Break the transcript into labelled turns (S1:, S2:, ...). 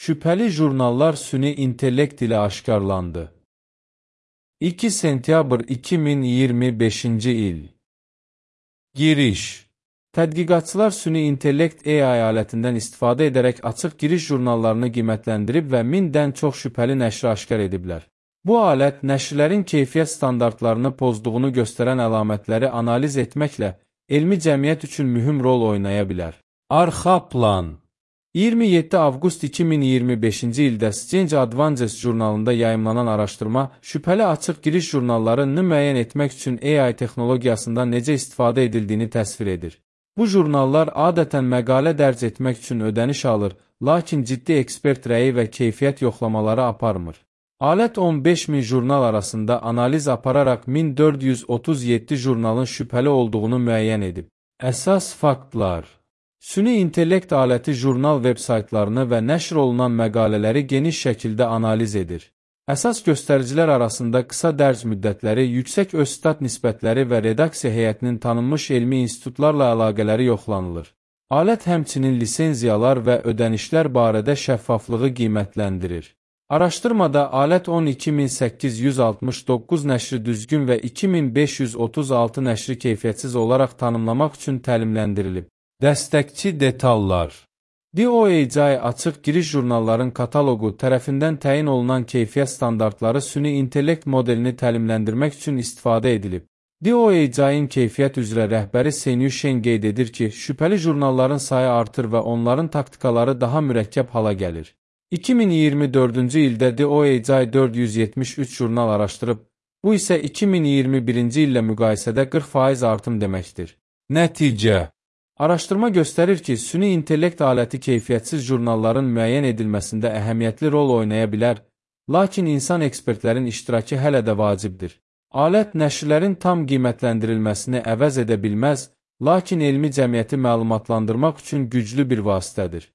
S1: Şüpheli jurnallar süni intellekt ile aşkarlandı. 2 sentyabr 2025 il. Giriş. Tədqiqatçılar süni intellekt AI alətindən istifadə edərək açıq giriş jurnallarını qiymətləndirib və 1000-dən çox şübhəli nəşri aşkar ediblər. Bu alət nəşrlərin keyfiyyət standartlarını pozduğunu göstərən əlamətləri analiz etməklə elmi cəmiyyət üçün mühüm rol oynaya bilər. Arxa plan. 27 avqust 2025-ci ildə Science Advances jurnalında yayımlanan araşdırma şübhəli açıq giriş jurnallarını müəyyən etmək üçün AI texnologiyasından necə istifadə edildiyini təsvir edir. Bu jurnallar adətən məqalə dərc etmək üçün ödəniş alır, lakin ciddi ekspert rəyi və keyfiyyət yoxlamaları aparmır. Alət 15.000 jurnal arasında analiz apararaq 1437 jurnalın şübhəli olduğunu müəyyən edib. Əsas faktlar. Süni intellekt aləti jurnal veb-saytlarını və nəşr olunan məqalələri geniş şəkildə analiz edir. Əsas göstəricilər arasında qısa dərc müddətləri, yüksək öz-stat nisbətləri və redaksiya heyətinin tanınmış elmi institutlarla əlaqələri yoxlanılır. Alət həmçinin lisenziyalar və ödənişlər barədə şəffaflığı qiymətləndirir. Araşdırmada alət 12869 nəşri düzgün və 2536 nəşri keyfiyyətsiz olaraq tanımlamaq üçün təlimləndirilib. Dəstəkçi detallar. DOAJ açıq giriş jurnalların kataloqu tərəfindən təyin olunan keyfiyyət standartları süni intellekt modelini təlimləndirmək üçün istifadə edilib. DOAJ-in keyfiyyət üzrə rəhbəri Senyu Shen qeyd edir ki, şübhəli jurnalların sayı artır və onların taktikaları daha mürəkkəb hala gəlir. 2024-cü ildə DOAJ 473 jurnal araşdırıb, bu isə 2021-ci illə müqayisədə 40% artım deməkdir. Nəticə. Araşdırma göstərir ki, süni intellekt aləti keyfiyyətsiz jurnalların müəyyən edilməsində əhəmiyyətli rol oynaya bilər, lakin insan ekspertlərin iştirakı hələ də vacibdir. Alət nəşrlərin tam qiymətləndirilməsini əvəz edə bilməz, lakin elmi cəmiyyəti məlumatlandırmaq üçün güclü bir vasitədir.